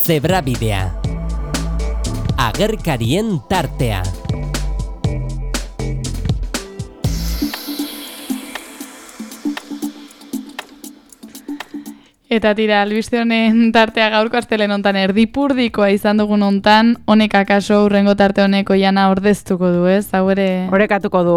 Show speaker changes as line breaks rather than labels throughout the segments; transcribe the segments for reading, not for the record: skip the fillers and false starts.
Zebrabidea. Agerkarien tartea.
Eta tira, albiste honen tartea gaurko astelen hontan erdipurdikoa izan dugun hontan, honek akaso urrengo tarte honeko jana ordeztuko du, ez? Hau ere...
Orekatuko du.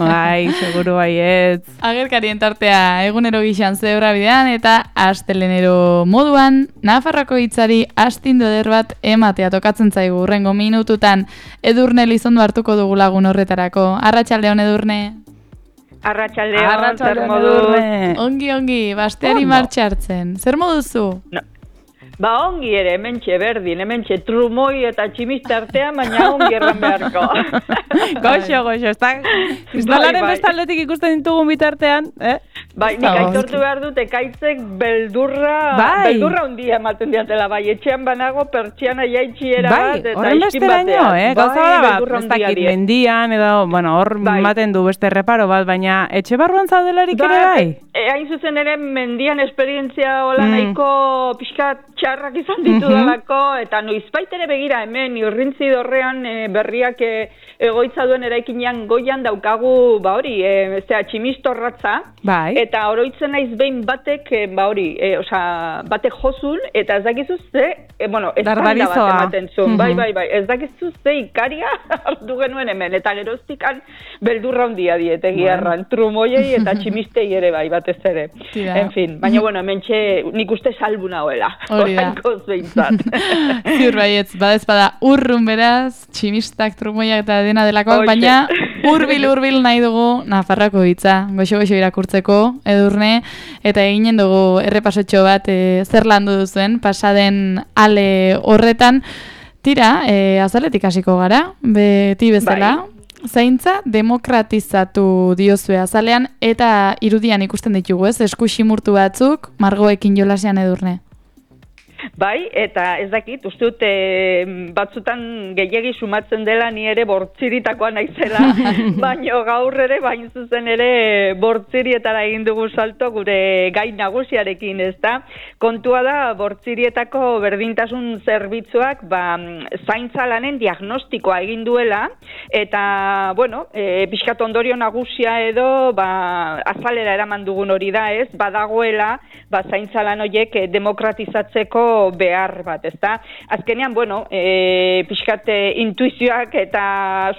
Bai, seguru baietz.
Agerkarien tartea egunero gixan Zebrabidean eta astelenero moduan, Nafarroako hitzari astindu eder bat ematea tokatzen zaigu urrengo minututan. Edurne Lizondo hartuko dugu lagun horretarako. Arratsaldeon Edurne.
Arratsaldeon, zer moduz?
Ongi, basteari martxa hartzen. Zer moduzu?
No. Ba ongi ere, hementxe berdin, hementxe trumoi eta tximiste artean, baina ongi erran beharko.
Goxo, kristalaren bestaldetik ikusten ditugun bitartean,
Bai, nik aitortu behar dut, ekaitzek beldurra hundia ematen diatela, bai, etxean banago, pertsiana jaitxiera bat, eta iskin batean.
Gauza ez dakit mendian, edo, bueno, hor ematen du beste reparo bat, baina etxe barruan zaudelarik ere bai?
Hain zuzen ere, mendian esperientzia hola nahiko pixkat txarrak izan ditudalako, eta noizbait ere begira hemen, urrintzi dorrean berriak egoitza duen eraikinean goian daukagu, ba hori, tximistorratza, eta oroitzen naiz behin batek, batek jozun, eta ez dakizu ze, ezkanda bat ematen zuen, bai, ez dakizu ze ikaria hartu genuen hemen, eta geroztikan beldurra hundia diete giarran, trumoiei eta tximistei ere bai, batez ere. En fin, baina hemen nik uste salbu nagoela.
Hori da. Ziur baietz, badezpada urrun beraz, tximistak, trumoiak eta dena delakoak, baina hurbil nahi dugu Nafarroako hitza, goxo irakurtzeko, Edurne, eta eginen dugu errepasotxo bat zer landu duzuen, pasaden ale horretan. Tira, azaletik hasiko gara, beti bezala, zaintza demokratizatu diozue azalean, eta irudian ikusten ditugu, ez? Eskusimurtu batzuk, margoekin jolasean, Edurne.
Bai, eta ez dakit, uste dut batzutan gehiegi sumatzen dela ni ere bortziritakoa naizela, baino gaur ere, bain zuzen ere bortzirietara egin dugu salto gure gai nagusiarekin, ez da? Kontua da, bortzirietako berdintasun zerbitzuak zaintza lanen diagnostikoa egin duela, eta, pixkat ondorio nagusia edo azalera eraman dugun hori da, ez? Badagoela, zaintza lan horiek demokratizatzeko behar bat, ezta? Azkenean, pixkat intuizioak eta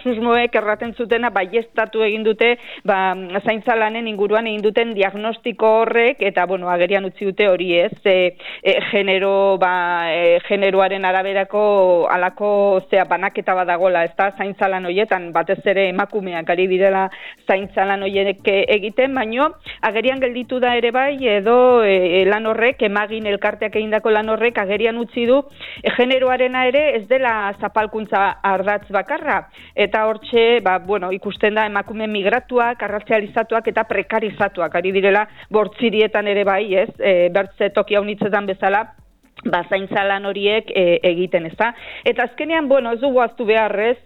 susmoek erraten zutena baieztatu egin dute, zaintza lanen inguruan egin duten diagnostiko horrek, eta, agerian utzi dute hori ez, generoaren araberako alako banaketa badagola, ezta? Zaintza lan horietan, batez ere emakumeak ari direla zaintza lan horiek egiten, baino, agerian gelditu da ere bai, edo lan horrek, emagin elkarteak egindako lan horrek agerian utzi du generoarena ere ez dela zapalkuntza ardatz bakarra, eta hortxe ikusten da emakume migratuak, arrazializatuak eta prekarizatuak ari direla bortzirietan ere bai, ez? Bertze toki haunitzetan bezala zaintza lan horiek egiten, ezta? Eta azkenean, ez dugu aztu beharrez,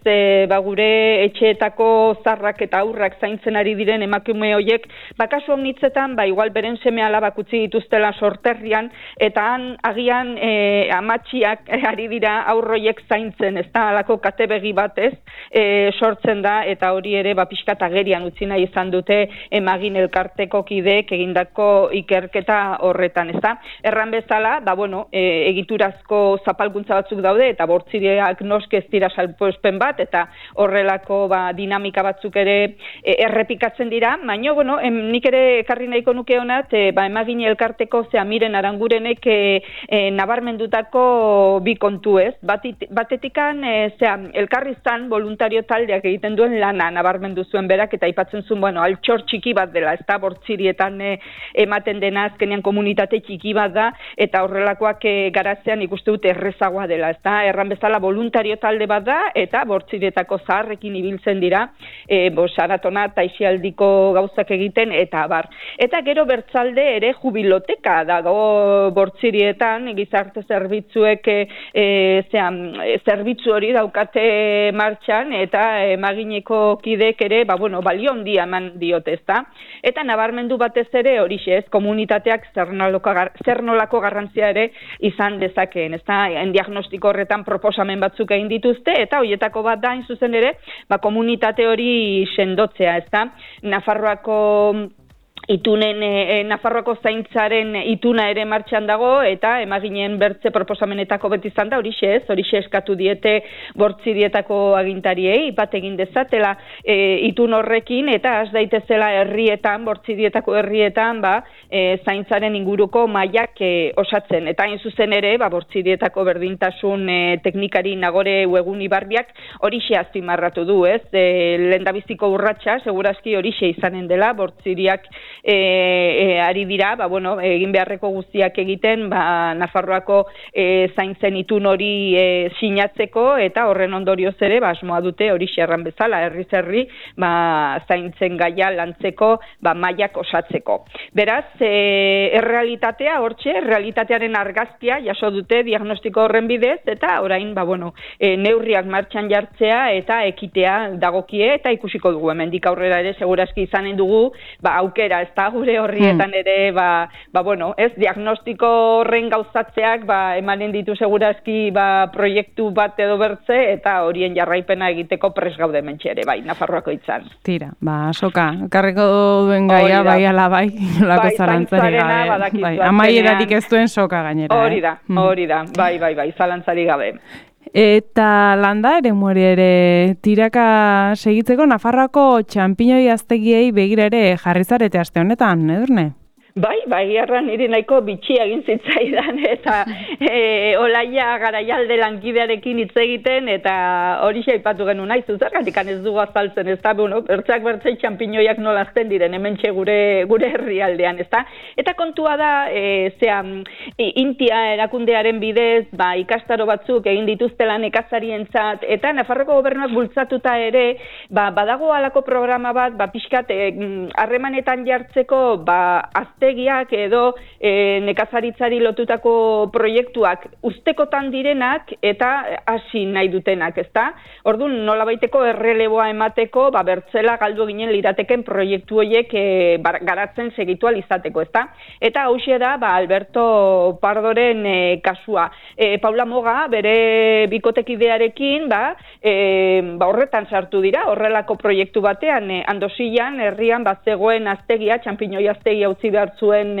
gure etxeetako zarrak eta aurrak zaintzen ari diren emakume horiek, kasu honitzetan, igual beren seme alabak utzi dituztela sorterrian, eta han agian amatxiak ari dira aurroiek zaintzen, ezta? Halako katebegi batez sortzen da, eta hori ere pixkat agerian utzi nahi izan dute emagin elkarteko kideek egindako ikerketa horretan, ezta? Erran bezala, egiturazko zapalkuntza batzuk daude, eta bortziriak noske ez dira salbuespen bat, eta horrelako dinamika batzuk ere errepikatzen dira, baina, nik ere ekarri nahiko nuke honat, emagin elkarteko Miren Arangurenek nabarmendutako bi kontu ez. Batetikan, elkarrizan voluntario taldeak egiten duen lana nabarmendu zuen berak, eta aipatzen zuen, altxor txiki bat dela, ez da, bortzirietan ematen dena azkenean komunitate txiki bat da, eta horrelakoak garatzean ikuste dut errezagoa dela, ez da, erran bezala voluntario talde bat da, eta bortzirietako zaharrekin ibiltzen dira, saratona eta isialdiko gauzak egiten, eta bar. Eta gero bertzalde ere jubiloteka dago bortzirietan, gizarte zerbitzuek zerbitzu hori daukate martxan, eta emagineko kidek ere, balio handia eman diote, ez da. Eta nabarmendu batez ere horixe ez, komunitateak zer nolako garrantzia ere izan dezakeen, ezta? Diagnostiko horretan proposamen batzuk egin dituzte, eta horietako bat da, hain zuzen ere, komunitate hori sendotzea, ezta? Nafarroako Nafarroako zaintzaren ituna ere martxan dago, eta emaginen bertze proposamenetako beti izan da, horixe eskatu diete Bortzirietako agintariei, bat egin dezatela itun horrekin, eta has daitezela herrietan, Bortzirietako herrietan, zaintzaren inguruko mailak osatzen. Eta hain zuzen ere, Bortzirietako berdintasun teknikari Nagore Uegun Ibarbiak horixe azpimarratu du, ez? Lehendabiziko urratsa, segurazki horixe izanen dela, Bortziriak ari dira, egin beharreko guztiak egiten, Nafarroako zaintzen itun hori sinatzeko, eta horren ondorioz ere, asmoa dute hori erran bezala, herriz herri, zaintzen gaia lantzeko, mailak osatzeko. Beraz, errealitatea, hortxe, realitatearen argazkia jaso dute diagnostiko horren bidez, eta orain, neurriak martxan jartzea, eta ekitea dagokie, eta ikusiko dugu, hemendik aurrera ere, segurazki izanen dugu, aukera, ez da, gure horrietan ere, ez, diagnostiko horren gauzatzeak, emanen ditu segurazki, proiektu bat edo bertze, eta horien jarraipena egiteko pres gaude mentxe ere, Nafarroako itzan.
Tira, soka, karriko duen gaia, ala lako zalantzari gabe. Amaierarik ez duen soka gainera.
Hori da, zalantzari gabe.
Eta landa ere mueri ere tiraka segitzeko Nafarroako txanpinoi aztegiei begira ere jarri zarete aste honetan, Edurne?
Bai, erran niri nahiko bitxia egin zitzaidan, eta Olaia Garaialde lankidearekin hitz egiten, eta hori aipatu genuen nahi, zuzergatik ez dugu azaltzen, ez da, bertzei txanpinoiak nolazten diren, hementxe gure herrialdean, ez da? Eta kontua da, Intia erakundearen bidez, ikastaro batzuk egin dituztela nekazarientzat, eta Nafarroko gobernuak bultzatuta ere, badago halako programa bat, pixkat, harremanetan jartzeko, aztegiak edo nekazaritzari lotutako proiektuak ustekotan direnak eta hasi nahi dutenak, ezta? Orduan, nolabaiteko erreleboa emateko, bertzela galdu ginen lirateken proiektu horiek garatzen segitu izateko, ezta? Eta hauxe da, Alberto Pardoren kasua. Paula Moga, bere bikotekidearekin, horretan sartu dira, horrelako proiektu batean, Andosian, herrian, zegoen aztegia, txanpinoi aztegia utzi behar zuen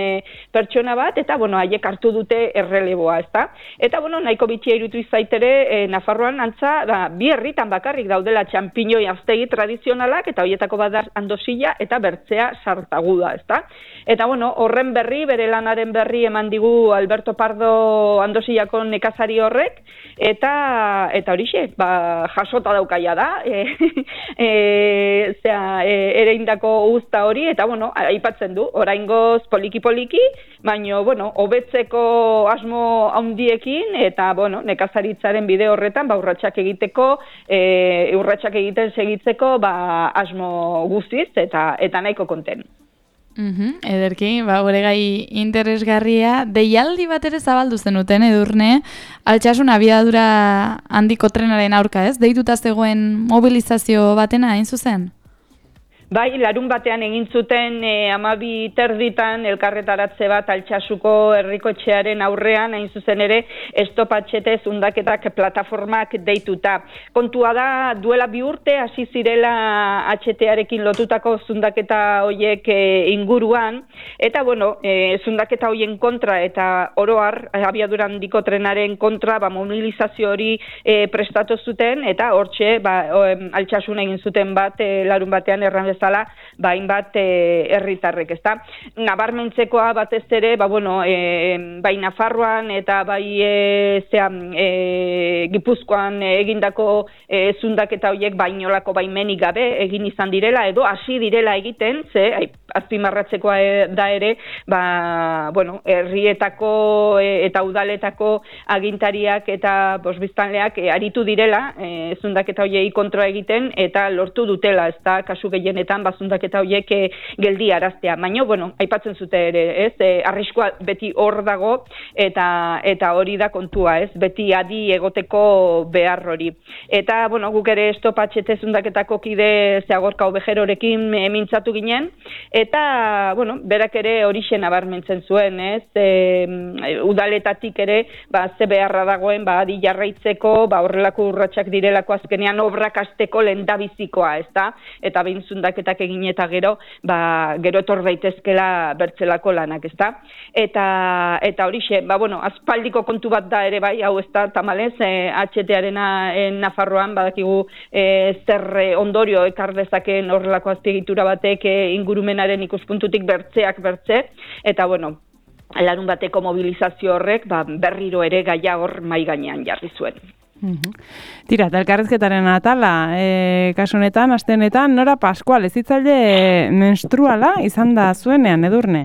pertsona bat, eta, haiek hartu dute erreleboa, ezta? Eta, nahiko bitxia irutu izaitere, Nafarroan antza, bi herritan bakarrik daudela txanpinoi aztegi tradizionalak, eta horietako bat Andosia eta Bertzea Sartaguda, ezta? Eta, horren berri, bere lanaren berri eman digu Alberto Pardo Andosiako nekazari horrek, eta horixe, jasota daukaia da, ereindako uzta hori, eta, aipatzen du, oraingoz poliki-poliki, baina, hobetzeko asmo handiekin, eta, nekazaritzaren bide horretan, urratsak egiteko, urratsak egiten segitzeko, asmo guztiz, eta nahiko konten.
Ederki, gure gai interesgarria, deialdi bat ere zabaldu zenuten, Edurne, Altsasun abiadura handiko trenaren aurka, ez? Deituta zegoen mobilizazio batena, hain zuzen?
Bai, larun batean egin zuten 12:30 elkarretaratze bat Altsasuko herrikotxearen aurrean, hain zuzen ere, estopatxete zundaketak plataformak deituta. Kontua da, duela 2 urte hasi zirela HT-arekin lotutako zundaketa hoiek inguruan, eta, zundaketa hoien kontra eta oroar, abiadura handiko trenaren kontra, mobilizazio hori prestatu zuten, eta hortxe, Altsasun egin zuten bat, larun batean erran bezala, hainbat herritarrek, ezta? Nabarmentzekoa batez ere, bai Nafarroan eta bai Gipuzkoan egindako zundaketa horiek bainolako baimenik gabe egin izan direla, edo hasi direla egiten, azpimarratzekoa da ere, herrietako eta udaletako agintariak eta biztanleak aritu direla zundaketa horiei kontroa egiten, eta lortu dutela, ezta, kasu gehienetan urteetan bazundaketa horiek geldi araztea. Baina, bueno, aipatzen zute ere, ez? Arriskua beti hor dago eta hori da kontua, ez? Beti adi egoteko behar hori. Eta, bueno, guk ere estopatxete zundaketako kide Zeagorka Obejerorekin mintzatu ginen, eta, bueno, berak ere horixe nabarmentzen zuen, ez? Udaletatik ere, ze beharra dagoen, adi jarraitzeko, horrelako urratsak direlako azkenean obrak hasteko lehendabizikoa, ezta? Eta behin zundaketak egin eta gero etor daitezkela bertzelako lanak, ezta? Eta horixe, bueno, aspaldiko kontu bat da ere bai, hau ezta, tamalez, HT-arena Nafarroan badakigu zer ondorio ekar dezakeen horrelako azpiegitura batek ingurumenaren ikuspuntutik bertzeak bertze, eta bueno, larun bateko mobilizazio horrek berriro ere gaia hor mai gainean jarri zuen.
Tira, eta elkarrezketaren atala, kasu honetan, aste honetan, Nora Pascual, ezitzaile menstruala izan da zuenean, Edurne?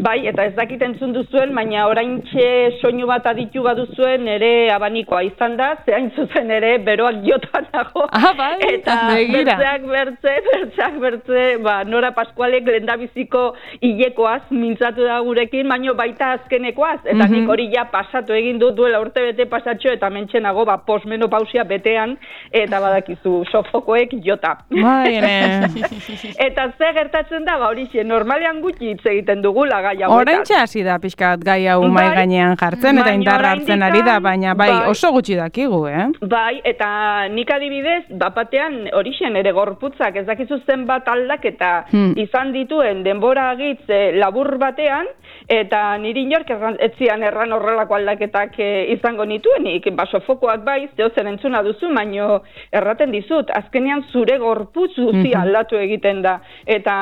Bai, eta ez dakit entzun duzuen, baina oraintxe soinu bat aditu baduzuen ere abanikoa izan da, zehain zuzen ere beroak jotan dago.
Bai,
eta bertzeak bertze, Nora Pascualek lehendabiziko hilekoaz mintzatu da gurekin, baino baita azkenekoaz, eta nik hori ja pasatu egin dut duela urte bete pasatxo, eta mentxenago posmenopausia betean, eta badakizu sofokoek jota. Eta ze gertatzen da, horixe, normalean gutxi hitz egiten dugula gai hauetaz.
Oraintxe hasi da pixkat gai hau mai gainean jartzen, eta indarra hartzen ari da, baina oso gutxi dakigu,
Bai, eta nik adibidez, bapatean horixen ere gorputzak ez dakizu zenbat aldaketa izan dituen denbora agitz labur batean, eta niri inork etzian erran horrelako aldaketak izango nituenik, sofokoak bai, zehozen entzuna duzu, baino erraten dizut, azkenean zure gorputz guztia aldatu egiten da, eta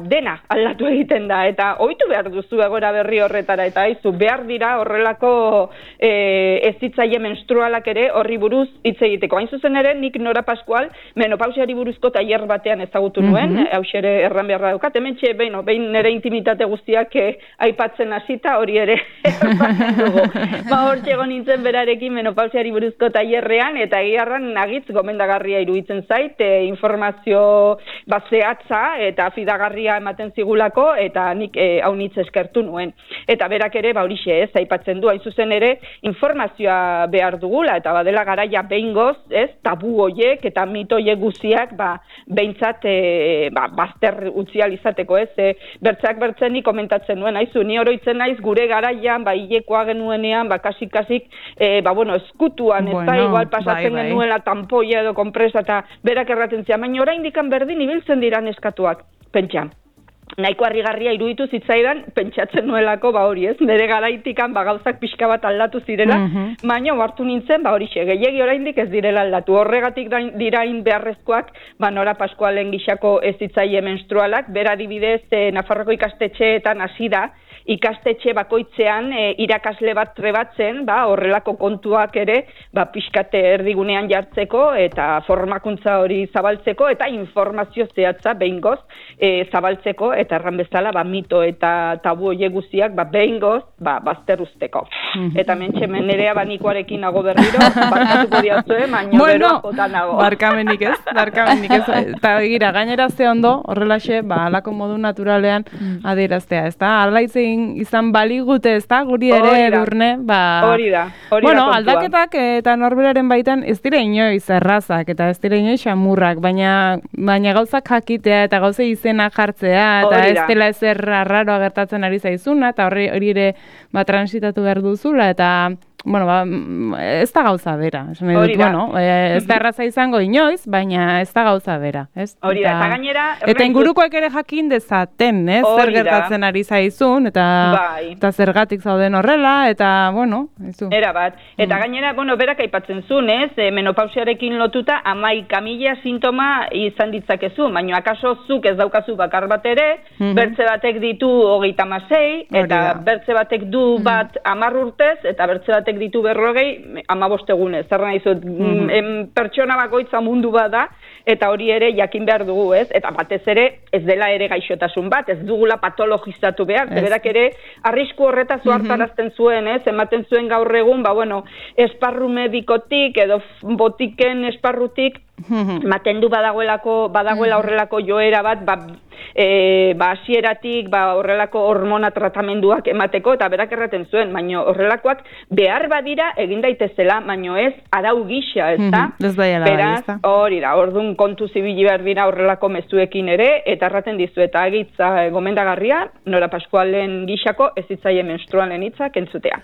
dena aldatu egiten da, eta ohitu behar duzu egora berri horretara, eta haizu behar dira horrelako ezitzaile menstrualak ere horri buruz hitz egiteko. Hain zuzen ere, nik Nora Pascual menopausiari buruzko tailer batean ezagutu nuen, hausere erran beharra daukat, hementxe behin nire intimitate guztiak aipatzen hasita hori ere erraten dugu. Hor txego nintzen berarekin menopausiari buruzko tailerrean, eta egiarran nagitz gomendagarria iruditzen zait, informazio zehatza eta fidagarria ematen zigulako, eta nik hau nitz eskertu nuen. Eta berak ere, horixe ez, aipatzen du, hain zuzen ere, informazioa behar dugula, eta badela garaia behingoz, ez, tabu hoiek eta mito hoiek guztiak, behintzat, bazter utzial izateko, ez, bertzeak bertzenik komentatzen nuen, haizu, ni oroitzen naiz gure garaian, hilekoa genuenean, kasik, eskutuan, ez da, igual pasatzen genuela tampoia edo konpresa, eta berak erraten zian, baina oraindik berdin ibiltzen dira neskatuak, pentsa. Nahiko harrigarria iruditu zitzaidan pentsatzen nuelako hori ez, nire garaitikan gauzak pixka bat aldatu zirela, baina hartu nintzen horixe, gehiegi oraindik ez direla aldatu. Horregatik dirain beharrezkoak Nora Pascualen gixako ezitzaile menstrualak, bera adibidez Nafarroko ikastetxeetan hasi da, ikastetxe bakoitzean irakasle bat trebatzen, horrelako kontuak ere pixkate erdigunean jartzeko eta formakuntza hori zabaltzeko eta informazio zehatza behingoz zabaltzeko eta erran bezala mito eta tabu horiek guztiak behingoz bazter usteko. Eta mentxemen ere abanikoarekin nago berriro, barkatuko diatzue, baina beroa jota nago.
Barkamenik ez. Eta gira, gainera ze ondo, horrelaxe, alako modu naturalean adieraztea, ez da? Alaitzen izan baligute, ez da? Guri ere Edurne,
hori da.
Bueno, aldaketak eta norberaren baitan ez dira inoiz errazak eta ez dira inoiz xamurrak, baina gauzak jakitea eta gauze izena jartzea eta ez dela ezer arraroa gertatzen ari zaizuna eta hori ere transitatu behar duzula eta ez da gauza bera. Ez da erraza izango inoiz, baina ez da gauza bera.
Hori da, eta gainera...
Eta ingurukoek ere jakin dezaten, zer gertatzen ari zaizun, eta zergatik zauden horrela, eta,
Era bat. Eta gainera, berak aipatzen zuen, menopausiarekin lotuta 11.000 sintoma izan ditzakezu, baina akaso zuk ez daukazu bakar bat ere, bertze batek ditu 36, eta bertze batek du bat 10 urtez, eta bertze batek ditu 40, 15 egunez. Zer nahi zut, pertsona bakoitza mundu bat da, eta hori ere jakin behar dugu, ez? Eta batez ere, ez dela ere gaixotasun bat, ez dugula patologizatu behar, berak ere arrisku horretaz hartarazten zuen, ez? Ematen zuen gaur egun, esparru medikotik edo botiken esparrutik, ematen du badagoela horrelako joera bat, hasieratik horrelako hormona tratamenduak emateko, eta berak erraten zuen, baina horrelakoak behar badira egin daitezela, baina ez arau gisa, ez da? Beraz, hori da, orduan kontu zibili behar dira horrelako mezuekin ere, eta erraten dizu, eta agitza gomendagarria, Nora Pascualen gisako ez hitzaien menstrualen hitzak entzutea.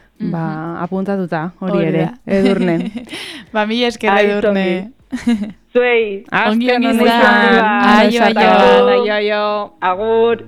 Apuntatuta, hori ere, Edurne.
Mila esker Edurne.
Zuei,
ongi izan, aio.
Agur.